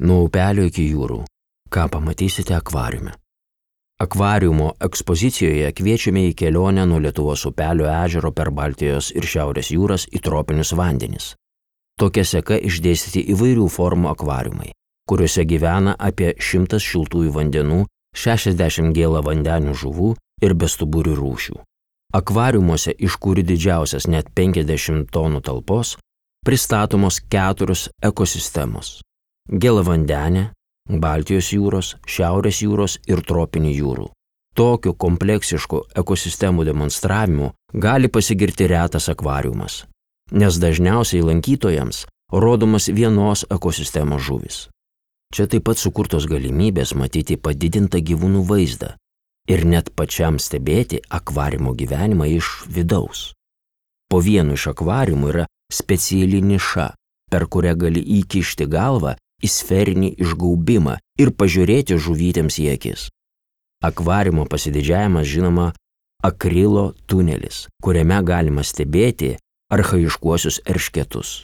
Nuo upelio iki jūrų. Ką pamatysite akvariume? Akvariumo ekspozicijoje kviečiame į kelionę nuo Lietuvos upelio ežero per Baltijos ir Šiaurės jūras į tropinius vandenis. Tokia seka išdėstyti įvairių formų akvariumai, kuriuose gyvena apie 100 šiltųjų vandenų, 60 gėlavandenių žuvų ir bestuburių rūšių. Akvariumuose, iš kurių didžiausias net 50 tonų talpos, pristatomos 4 ekosistemos – gėlavandenė, Baltijos jūros, Šiaurės jūros ir tropinių jūrų. Tokiu kompleksišku ekosistemų demonstravimu gali pasigirti retas akvariumas, nes dažniausiai lankytojams rodomas vienos ekosistemos žuvis. Čia taip pat sukurtos galimybės matyti padidintą gyvūnų vaizdą ir net pačiam stebėti akvariumo gyvenimą iš vidaus. Po vienu iš akvariumų yra speciali niša, per kurią gali įkišti galvą į sferinį išgaubimą ir pažiūrėti žuvytėms į akis. Akvariumo pasididžiavimas žinoma akrilo tunelis, kuriame galima stebėti archaiškuosius eršketus.